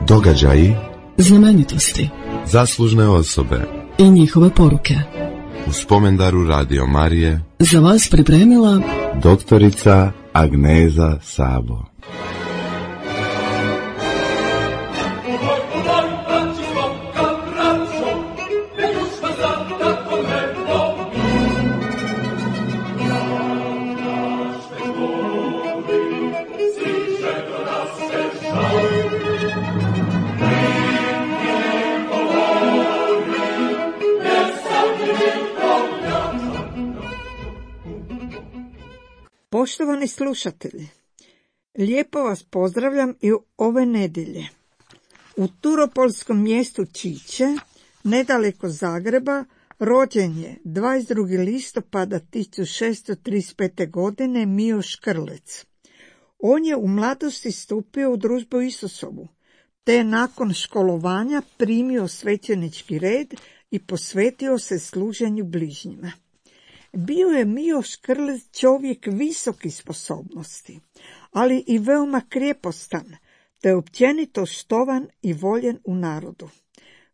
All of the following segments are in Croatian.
Događaji, znamenitosti, zaslužne osobe i njihove poruke. U spomendaru Radio Marije Za vas pripremila doktorica Agneza Sabo. Poštovani slušatelji, lijepo vas pozdravljam i ove nedjelje. U turopolskom mjestu Čiče, nedaleko Zagreba, rođen je 22. listopada 1635. godine Mijo Škrlec. On je u mladosti stupio u družbu Isusovu, te je nakon školovanja primio svećenički red i posvetio se služenju bližnjima. Bio je Mijo Škrlec čovjek visokih sposobnosti, ali i veoma krijepostan, te općenito štovan i voljen u narodu.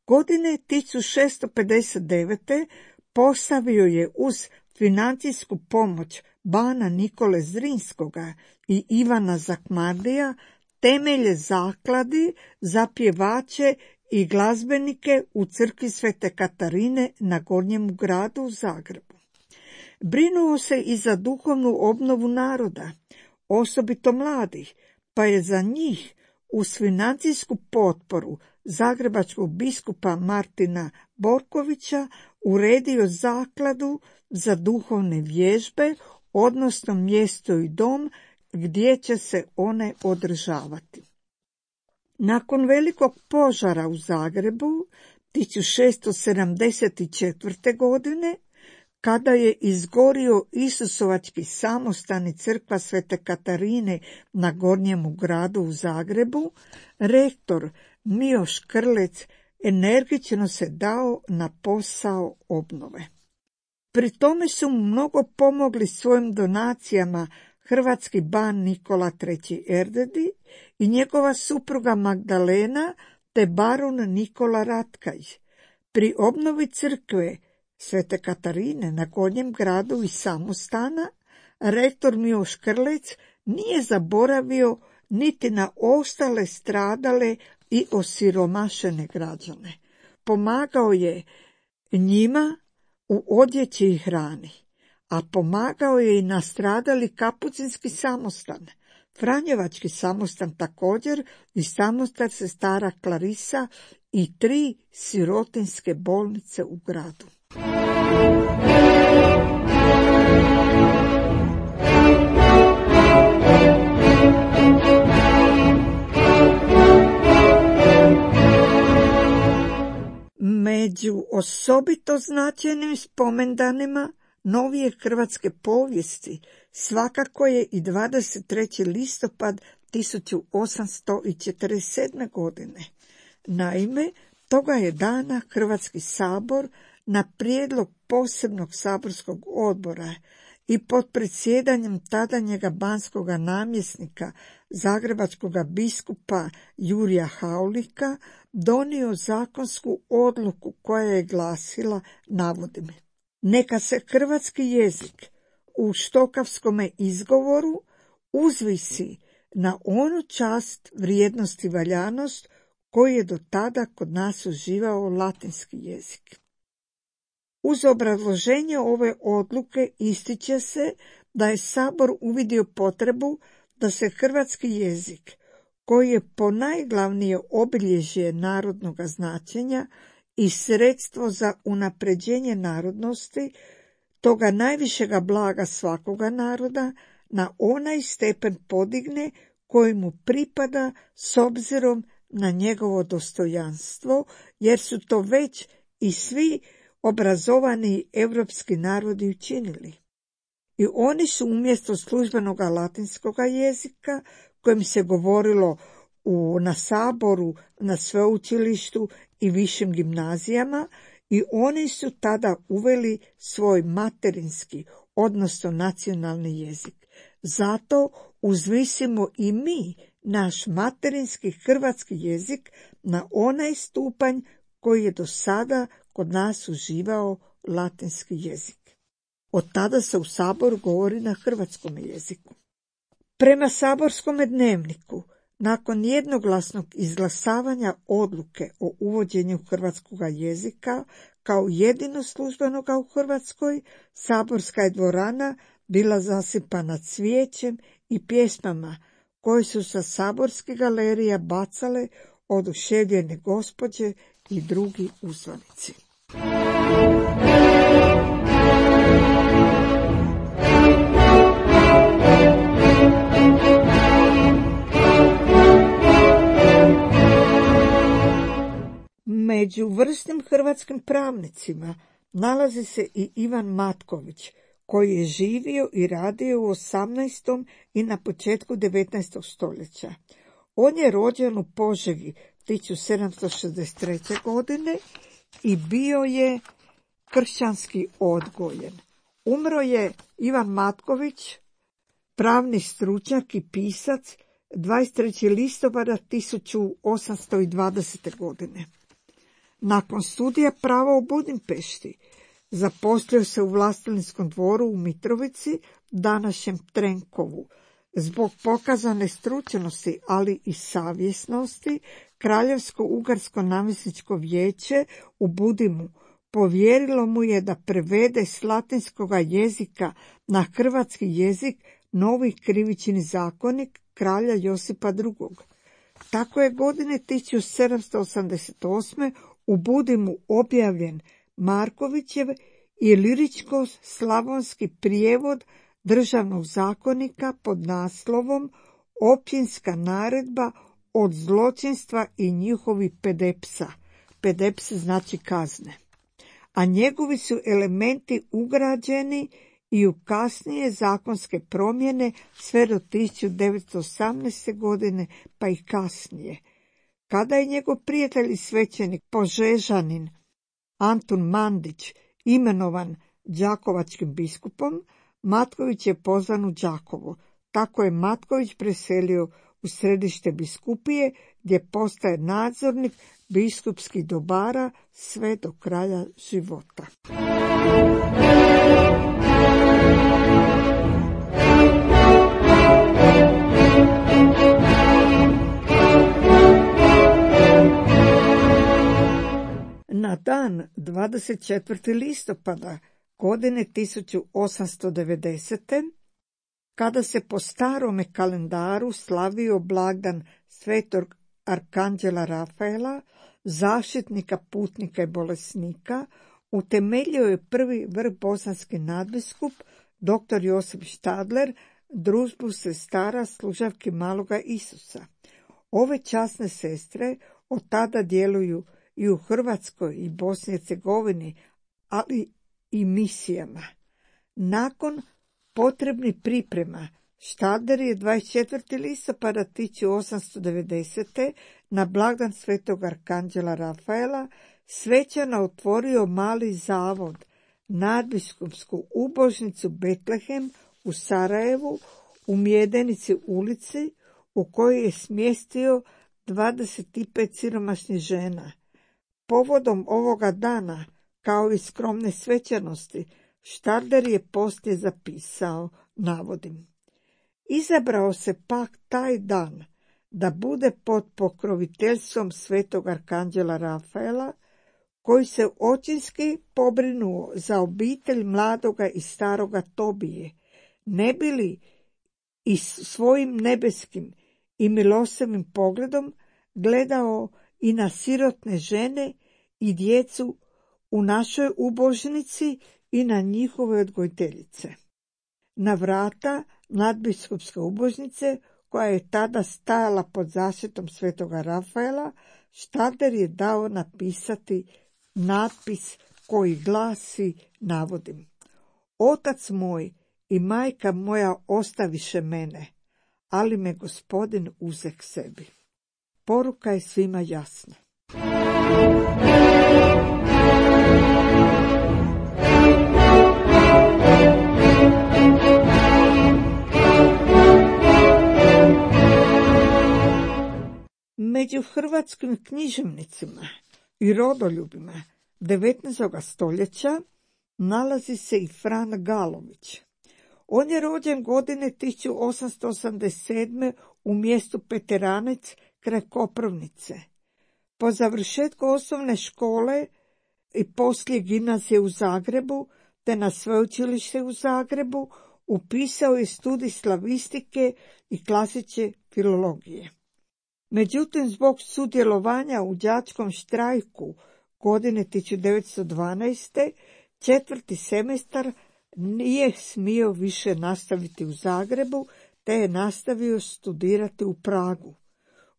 Godine 1659. postavio je uz financijsku pomoć bana Nikole Zrinskoga i Ivana Zakmardija temelje zakladi za pjevače i glazbenike u crkvi Svete Katarine na Gornjemu gradu u Zagrebu. Brinuo se i za duhovnu obnovu naroda, osobito mladih, pa je za njih uz financijsku potporu zagrebačkog biskupa Martina Borkovića uredio zakladu za duhovne vježbe, odnosno mjesto i dom gdje će se one održavati. Nakon velikog požara u Zagrebu 1674. godine, kada je izgorio Isusovački samostan i crkva Svete Katarine na Gornjemu gradu u Zagrebu, rektor Mijo Škrlec energično se dao na posao obnove. Pri tome su mu mnogo pomogli svojim donacijama hrvatski ban Nikola III. Erdedi i njegova supruga Magdalena te baron Nikola Ratkaj. Pri obnovi crkve Svete Katarine na Gornjem gradu i samostana, rektor Mijo Škrlec nije zaboravio niti na ostale stradale i osiromašene građane. Pomagao je njima u odjeći i hrani, a pomagao je i nastradali kapucinski samostan, Franjevački samostan također i samostan sestara Klarisa i 3 sirotinske bolnice u gradu. Među osobito značajnim spomendanima novije hrvatske povijesti svakako je i 23. listopad 1847. godine. Naime, toga je dana Hrvatski sabor na prijedlog posebnog saborskog odbora i pod predsjedanjem tadanjega banskog namjesnika zagrebačkog biskupa Jurija Haulika donio zakonsku odluku koja je glasila, navodim: neka se hrvatski jezik u štokavskome izgovoru uzvisi na onu čast, vrijednost i valjanost koji je do tada kod nas uživao latinski jezik. Uz obrazloženje ove odluke ističe se da je Sabor uvidio potrebu da se hrvatski jezik, koji je ponajglavnije obilježje narodnog značenja i sredstvo za unapređenje narodnosti, toga najvišega blaga svakoga naroda, na onaj stepen podigne koji mu pripada s obzirom na njegovo dostojanstvo, jer su to već i svi obrazovani europski narodi učinili. I oni su umjesto službenog latinskog jezika, kojim se govorilo na saboru, na sveučilištu i višim gimnazijama, i oni su tada uveli svoj materinski, odnosno nacionalni jezik. Zato uzvisimo i mi naš materinski hrvatski jezik na onaj stupanj koji je do sada kod nas uživao latinski jezik. Od tada se u Saboru govori na hrvatskom jeziku. Prema saborskom dnevniku, nakon jednoglasnog izglasavanja odluke o uvođenju hrvatskog jezika kao jedino službenoga u Hrvatskoj, saborska je dvorana bila zasipana cvijećem i pjesmama koje su sa saborskih galerija bacale oduševljene gospođe i drugi uzvanici. Među vrsnim hrvatskim pravnicima nalazi se i Ivan Matković, koji je živio i radio u 18. i na početku 19. stoljeća. On je rođen u Požegi 1763. godine i bio je kršćanski odgojen. Umro je Ivan Matković, pravni stručnjak i pisac, 23. listopada 1820. godine. Nakon studija prava u Budimpešti zaposlio se u Vlastelinskom dvoru u Mitrovici, današnjem Trenkovu. Zbog pokazane stručnosti, ali i savjesnosti, Kraljevsko-ugarsko namjesničko vijeće u Budimu povjerilo mu je da prevede s latinskoga jezika na hrvatski jezik novi krivični zakonik kralja Josipa II. Tako je godine 1788. u Budimu objavljen Markovićev i liričko-slavonski prijevod državnog zakonika pod naslovom Općinska naredba od zločinstva i njihovi pedepsa. Pedeps znači kazne. A njegovi su elementi ugrađeni i u kasnije zakonske promjene sve do 1918. godine, pa i kasnije. Kada je njegov prijatelj i svećenik Požežanin Antun Mandić imenovan đakovačkim biskupom, Matković je pozvan u Đakovo. Tako je Matković preselio u središte biskupije, gdje postaje nadzornik biskupskih dobara sve do kraja života. Na dan 24. listopada godine 1890. kada se po starome kalendaru slavio blagdan Svetog arkanđela Rafaela, zaštitnika putnika i bolesnika, utemeljio je prvi vrhbosanski nadbiskup dr. Josip Štadler družbu sestara služavki Maloga Isusa. Ove časne sestre od tada djeluju i u Hrvatskoj i Bosni i Hercegovini, ali i misijama. Nakon potrebnih priprema, Štadler je 24. listopada 1890. na blagdan Svetog arkanđela Rafaela svečano otvorio mali zavod, nadbiskupsku ubožnicu Betlehem u Sarajevu, u Mjedenici ulici, u kojoj je smjestio 25 siromašnih žena. Povodom ovoga dana, kao i skromne svečanosti, Štadler je poslije zapisao, navodim: izabrao se pak taj dan da bude pod pokroviteljstvom Svetog arkanđela Rafaela, koji se očinski pobrinuo za obitelj mladoga i staroga Tobije, ne bi li i svojim nebeskim i milosrdnim pogledom gledao i na sirotne žene i djecu u našoj ubožnici i na njihove odgojiteljice. Na vrata nadbiskupske ubožnice, koja je tada stajala pod zaštitom Svetoga Rafaela, Štadler je dao napisati natpis koji glasi, navodim: otac moj i majka moja ostaviše mene, ali me Gospodin uze k sebi. Poruka je svima jasna. Među hrvatskim književnicima i rodoljubima 19. stoljeća nalazi se i Fran Galović. On je rođen godine 1887. u mjestu Peteranec kraj Koprivnice. Po završetku osnovne škole i poslije gimnazije u Zagrebu te na sveučilište u Zagrebu upisao je studij slavistike i klasične filologije. Međutim, zbog sudjelovanja u đačkom štrajku godine 1912. 4. semestar nije smio više nastaviti u Zagrebu, te je nastavio studirati u Pragu.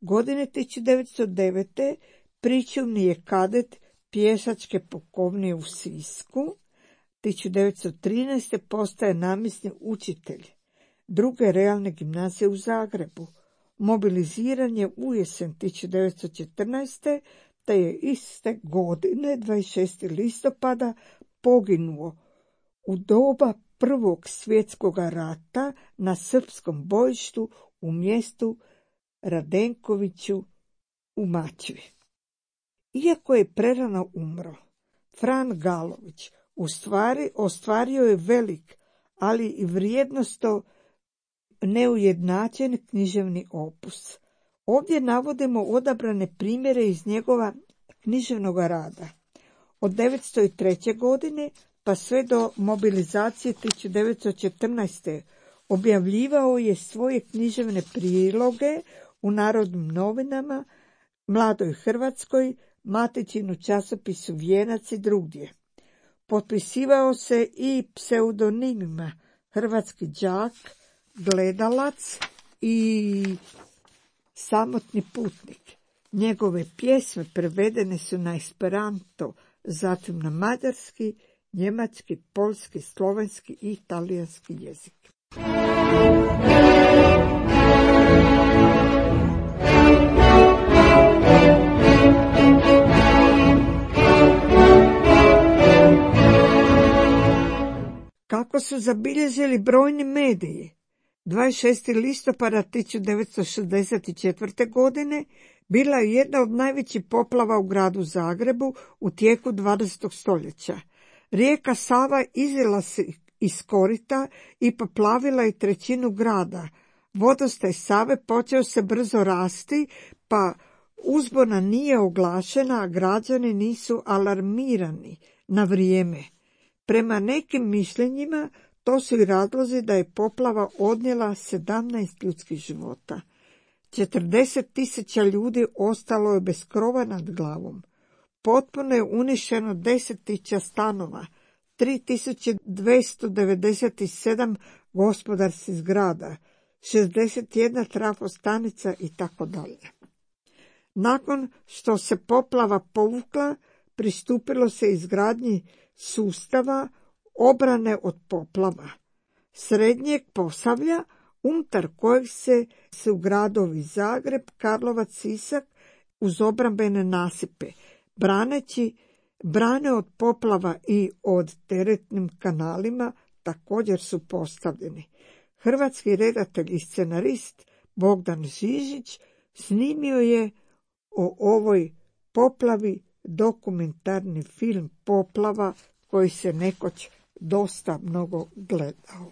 Godine 1909. pričuvni je kadet pješačke pukovnije u Sisku. 1913. postaje namjesni učitelj druge realne gimnazije u Zagrebu. Mobiliziran je u jesen 1914. te je iste godine 26. listopada poginuo u doba Prvog svjetskog rata na srpskom bojištu u mjestu Radenkoviću u Mačvi. Iako je prerano umro, Fran Galović u stvari ostvario je velik, ali i vrijednosno neujednačen književni opus. Ovdje navodimo odabrane primjere iz njegova književnog rada. Od 1903. godine pa sve do mobilizacije 1914. objavljivao je svoje književne priloge u Narodnim novinama, Mladoj Hrvatskoj, Matičinu časopisu Vijenac i drugdje. Potpisivao se i pseudonimima Hrvatski đak, Gledalac i Samotni putnik. Njegove pjesme prevedene su na esperanto, zatim na mađarski, njemački, poljski, slovenski i talijanski jezik. Kako su zabilježili brojni mediji, 26. listopada 1964. godine bila je jedna od najvećih poplava u gradu Zagrebu u tijeku 20. stoljeća. Rijeka Sava izlila se iz korita i poplavila je trećinu grada. Vodostaj Save počeo se brzo rasti, pa uzbuna nije oglašena, a građani nisu alarmirani na vrijeme. Prema nekim mišljenjima, to su i razlozi da je poplava odnijela 17 ljudskih života. 40.000 ljudi ostalo je bez krova nad glavom. Potpuno je uništeno 10.000 stanova, 3.297 gospodarskih zgrada, 61 trafostanica itd. Nakon što se poplava povukla, pristupilo se izgradnji sustava obrane od poplava Srednjeg Posavlja, unutar kojeg su gradovi Zagreb, Karlovac, Sisak uz obrambene nasipe, brane od poplava i od teretnim kanalima također su postavljeni. Hrvatski redatelj i scenarist Bogdan Žižić snimio je o ovoj poplavi dokumentarni film Poplava koji se nekoć dosta mnogo gledao.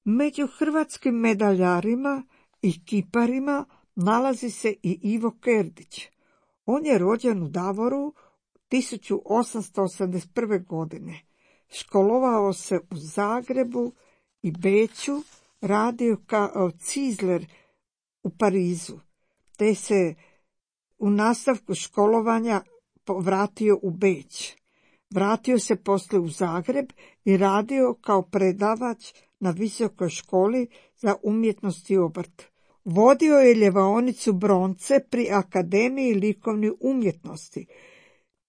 Među hrvatskim medaljarima i kiparima nalazi se i Ivo Kerdić. On je rođen u Davoru 1881. godine. Školovao se u Zagrebu i Beču, radio kao cizler u Parizu, te se u nastavku školovanja vratio u Beč. Vratio se poslije u Zagreb i radio kao predavač na Visokoj školi za umjetnost i obrt. Vodio je ljevaonicu bronce pri Akademiji likovnih umjetnosti,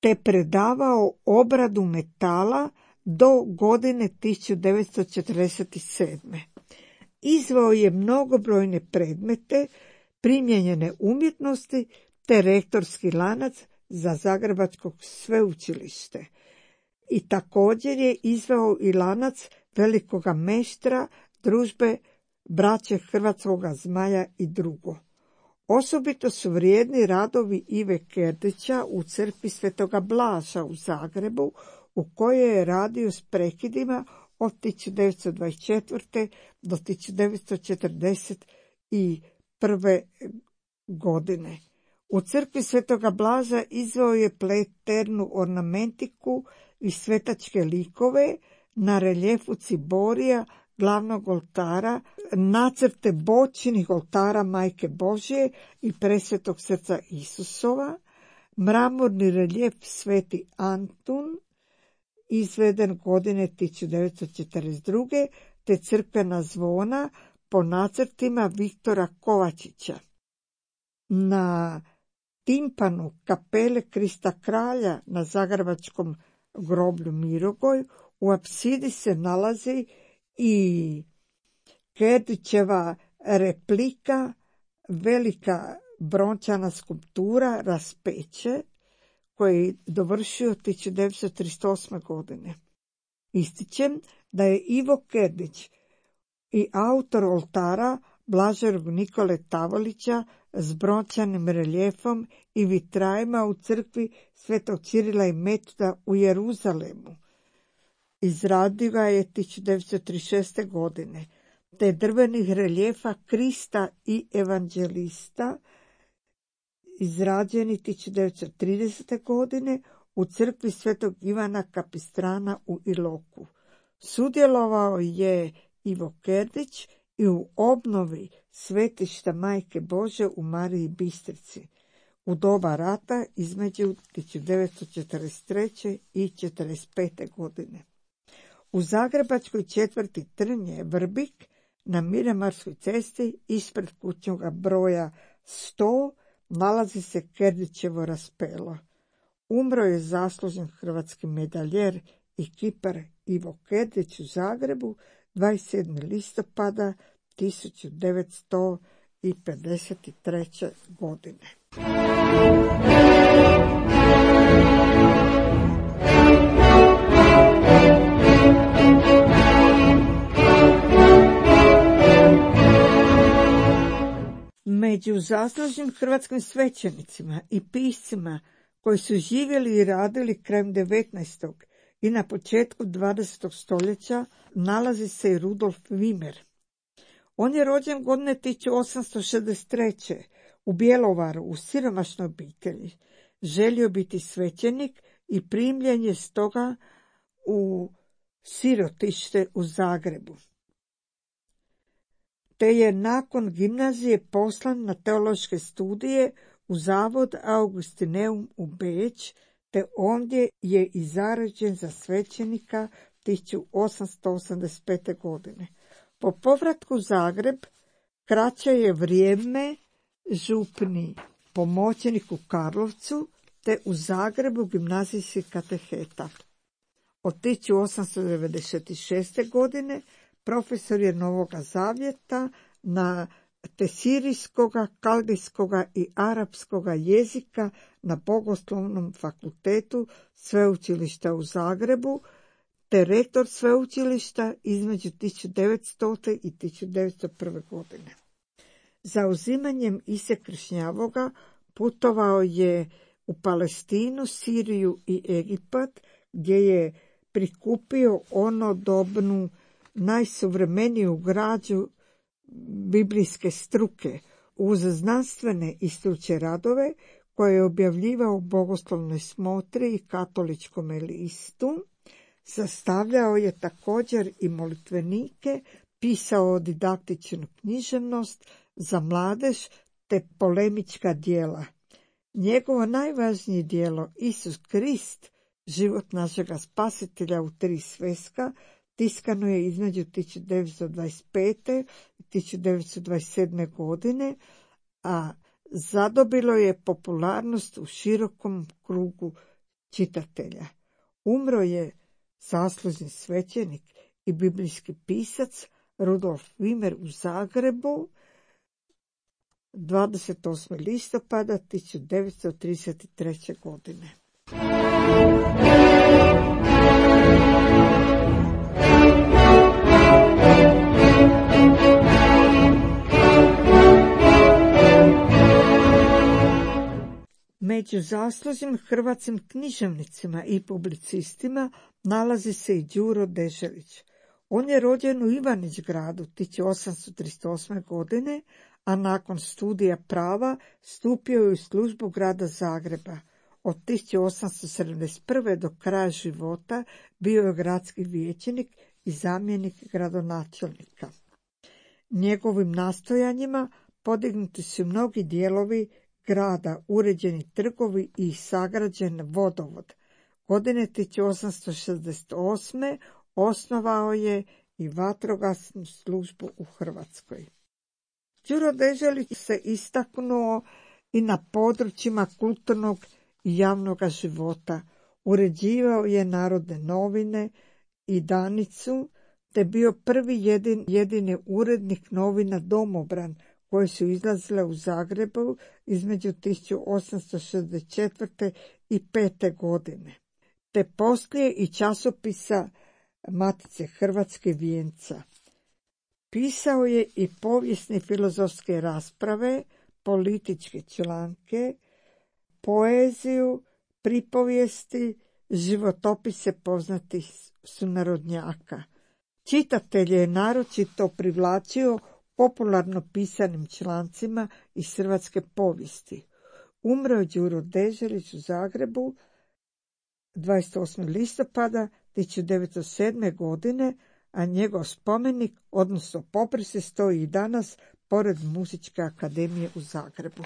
te predavao obradu metala do godine 1947. Izveo je mnogobrojne predmete primijenjene umjetnosti te rektorski lanac za Zagrebačko sveučilište. I također je izveo i lanac velikoga meštra družbe braće Hrvatskoga zmaja i drugo. Osobito su vrijedni radovi Ive Kerdića u crkvi Svetoga Blaža u Zagrebu, u kojoj je radio s prekidima od 1924. do 1941. godine. U crkvi Svetoga Blaža izveo je pleternu ornamentiku i svetačke likove na reljefu ciborija glavnog oltara, nacrte bočinih oltara Majke Božje i Presvetog srca Isusova, mramorni reljef Sveti Antun, izveden godine 1942. te crkvena zvona po nacrtima Viktora Kovačića. Na timpanu kapele Krista Kralja na Zagrebačkom groblju Mirogoj u apsidi se nalazi i Kerdićeva replika, velika brončana skulptura Raspeće, koji je dovršio 1938. godine. Ističem da je Ivo Kerdić i autor oltara Blaženog Nikole Tavolića s brončanim reljefom i vitrajima u crkvi Svetog Cirila i Metoda u Jeruzalemu. Izradio ga je 1936. godine, te drvenih reljefa Krista i Evanđelista, izrađeni 1930. godine u crkvi Svetog Ivana Kapistrana u Iloku. Sudjelovao je Ivo Kerdić i u obnovi svetišta Majke Božje u Mariji Bistrici u doba rata između 1943. i 1945. godine. U zagrebačkoj četvrti Trnje Vrbik na Miramarskoj cesti ispred kućnog broja 100 nalazi se Kerdićevo raspelo. Umro je zaslužen hrvatski medaljer i kipar Ivo Kerdić u Zagrebu 27. listopada 1953. godine. Među zaslužnim hrvatskim svećenicima i piscima koji su živjeli i radili krajem 19. i na početku 20. stoljeća nalazi se i Rudolf Wimmer. On je rođen godine 1863. u Bjelovaru u siromašnoj obitelji. Želio biti svećenik i primljen je stoga u sirotište u Zagrebu. Te je nakon gimnazije poslan na teološke studije u Zavod Augustineum u Beč, te ondje je i zaređen za svećenika 1885. godine. Po povratku u Zagreb kraće je vrijeme župni pomoćnik u Karlovcu, te u Zagrebu gimnazijski kateheta. Od 1896. godine profesor je Novoga Zavjeta na tesirijskoga, kaldijskoga i arapskoga jezika na Bogoslovnom fakultetu Sveučilišta u Zagrebu, te rektor sveučilišta između 1900. i 1901. godine. Zauzimanjem Ise Kršnjavoga putovao je u Palestinu, Siriju i Egipat, gdje je prikupio onodobnu najsuvremeniju građu biblijske struke uz znanstvene i stručne radove koje je objavljivao u Bogoslovnoj smotri i Katoličkom listu. Sastavljao je također i molitvenike, pisao didaktičnu književnost za mladež te polemička djela. Njegovo najvažnije djelo Isus Krist, život našega spasitelja u 3 sveska, tiskano je između 1925. i 1927. godine, a zadobilo je popularnost u širokom krugu čitatelja. Umro je zaslužni svećenik i biblijski pisac Rudolf Wimmer u Zagrebu 28. listopada 1933. godine. Među zaslužnim hrvatskim književnicima i publicistima nalazi se i Đuro Deželić. On je rođen u Ivanić-gradu 1838. godine, a nakon studija prava stupio je u službu grada Zagreba. Od 1871. do kraja života bio je gradski vijećnik i zamjenik gradonačelnika. Njegovim nastojanjima podignuti su mnogi dijelovi grada, uređeni trgovi i sagrađen vodovod. Godine 1868. osnovao je i vatrogasnu službu u Hrvatskoj. Đuro Deželić se istaknuo i na područjima kulturnog i javnog života. Uređivao je Narodne novine i Danicu, te bio prvi jedini urednik novina Domobran, koje su izlazile u Zagrebu između 1864. i 5. godine, te poslije i časopisa Matice Hrvatske Vijenca. Pisao je i povijesne filozofske rasprave, političke članke, poeziju, pripovijesti, životopise poznatih sunarodnjaka. Čitatelje je naročito privlačio popularno pisanim člancima iz hrvatske povijesti. Umro je Đuro Deželić u Zagrebu 28. listopada 1907. godine, a njegov spomenik, odnosno poprise, stoji i danas pored Muzičke akademije u Zagrebu.